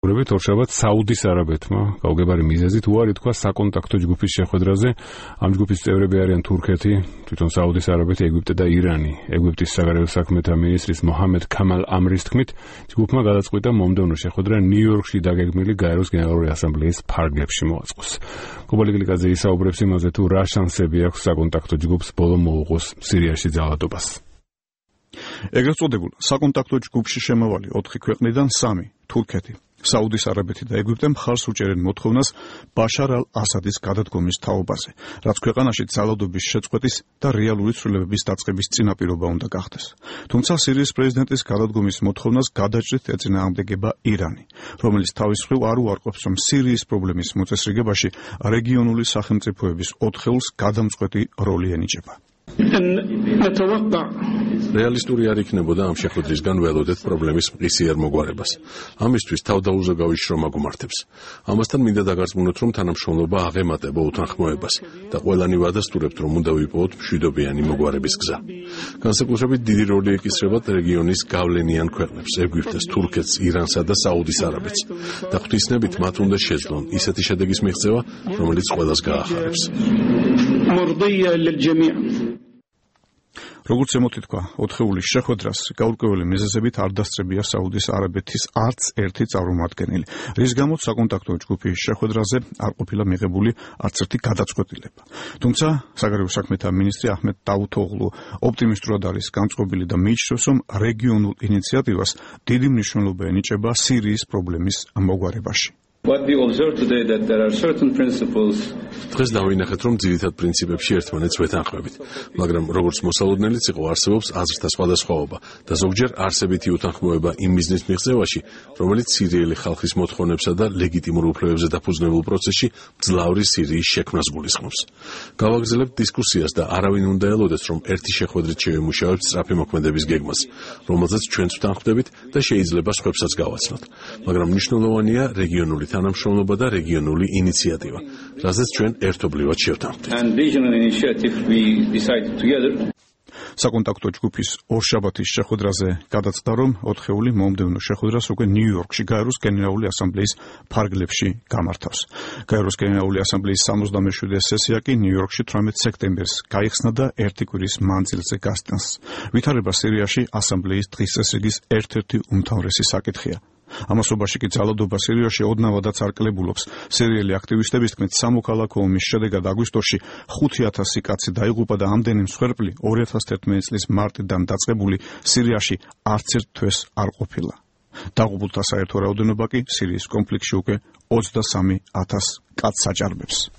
დამოკიდებულებით ორშაბათს საუდის არაბეთმა გაუგებარი მიზეზით უარი თქვა საკონტაქტო ჯგუფის შეხვედრაზე. ამ ჯგუფის წევრები არიან თურქეთი, თვითონ საუდის არაბეთი, ეგვიპტე და ირანი. ეგვიპტის საგარეო საქმეთა მინისტრის მოჰამედ ქამალ ამრის თქმით, ჯგუფმა გადაწყვიტა მომდევნო შეხვედრა ნიუ-იორკში დაგეგმილი გაეროს გენერალური ასამბლეის ფარგლებში მოაწყოს. კუბალი გლიკაძე ისაუბრებს იმაზე, თუ რა შანსები აქვს საკონტაქტო ჯგუფს ბოლო მოუღოს სირიაში ძალადობას. ეგრეთ წოდებულ საკონტაქტო ჯგუფში შემავალი 4 ქვეყნიდან 3 თურქეთი, საუდის არაბეთი და ეგვიპტე მხარს უჭერენ მოთხოვნას ბაშარ ალ-ასადის გადადგომის თაობაზე, რაც ქვეყანაში ძალადობის შეწყვეტის და რეალური ცვლილებების დაწყების წინაპირობა უნდა გახდეს. თუმცა სირიის პრეზიდენტის გადადგომის მოთხოვნას გადაჭრით ეწინააღმდეგება ირანი, რომელიც თავის მხრივ არ უარყოფს, რომ სირიის პრობლემის მოწესრიგებაში რეგიონული სახელმწიფოების ოთხეულს გადამწყვეტი როლი ენიჭება. რეალისტური არ იქნებოდა ამ შეხვედრისგან ველოდეთ პრობლემის მყისიერ მოგვარებას. ამისთვის თავდაუზოგავი შრომა გუმართებს. ამასთან მინდა დაგარწმუნოთ, რომ თანამშრომლობა აღემატება უთანხმოებას და ყველანი ვადასტურებთ, რომ უნდა ვიპოვოთ მშვიდობიანი მოგვარების გზა. განსაკუთრებით დიდი როლი ეკისრება რეგიონის გავლენიან ქვეყნებს, ეგვიპტეს, თურქეთს, ირანსა და საუდის არაბეთს და ღვთისნებით მათ უნდა შეძლონ ისეთი შედეგის მიღწევა, რომელიც ყველას გაახარებს. როგორც ემოთითქვა, ოთხეულის შეხვედრას გაურკვეველი მიზეზებით არ დასწრებია საუდის არაბეთის არც ერთი წარმომადგენელი, რის გამოც საკონტაქტო ჯგუფის შეხვედრაზე არ ყოფილა მიღებული არც ერთი გადაწყვეტილება. თუმცა საგარეო საქმეთა მინისტრი აჰმედ დავუთოღლუ ოპტიმისტურად არის განწყობილი და მიიჩნევს, რომ რეგიონულ ინიციატივას დიდი მნიშვნელობა ენიჭება სირიის პრობლემის მოგვარებაში. დღეს დავინახეთ, რომ ძირითად პრინციპებში ერთმანეთს ვეთანხმებით, მაგრამ როგორც მოსალოდნელიც იყო, არსებობს აზრთა სხვადასხვაობა და ზოგჯერ არსებითი უთანხმოება იმ მიზნის მიღწევაში, რომელიც სირიელი ხალხის მოთხოვნებსა და ლეგიტიმურ უფლებებზე დაფუძნებულ პროცესში მძლავრი სირიის შექმნას გულისხმობს. გავაგრძელებთ დისკუსიას და არავინ უნდა ელოდეს, რომ ერთი შეხვედრით შევიმუშავებთ სწრაფი მოქმედების გეგმას, რომელზეც ჩვენც ვთანხმდებით და შეიძლება სხვებსაც გავაცნოთ, მაგრამ მნიშვნელოვანია რეგიონული თანამშრომლობა და რეგიონული ინიციატივა, რაზეც ჩვენ ერთობლივად შევთანხმდით. საკონტაქტო ჯგუფის ორშაბათის შეხვედრაზე გადაწყდა, რომ ოთხეული მომდევნო შეხვედრას უკვე ნიუ-იორკში გაეროს გენერალური ასამბლეის ფარგლებში გამართავს. გაეროს გენერალური ასამბლეის 67 სესია კი ნიუ-იორკში 18 სექტემბერს გაიხსნა და ერთი კვირის მანძილზე გასტანს. ვითარება სირიაში ასამბლეის დღის წესრიგის ერთ-ერთი უმთავრესი საკითხია. ამასობაში კი ძალადობა სირიაში ოდნავადაც არ კლებულობს. სირიელი აქტივისტების თქმით, სამოქალაქო ომის შედეგად აგვისტოში 5,000 კაცი დაიღუპა და ამდენი მსხვერპლი 2011 წლის მარტიდან დაწყებული სირიაში არც ერთ თვეს არ ყოფილა. დაღუპულთა საერთო რაოდენობა კი სირიის კონფლიქტში უკვე 23,000 კაცს აჭარბებს.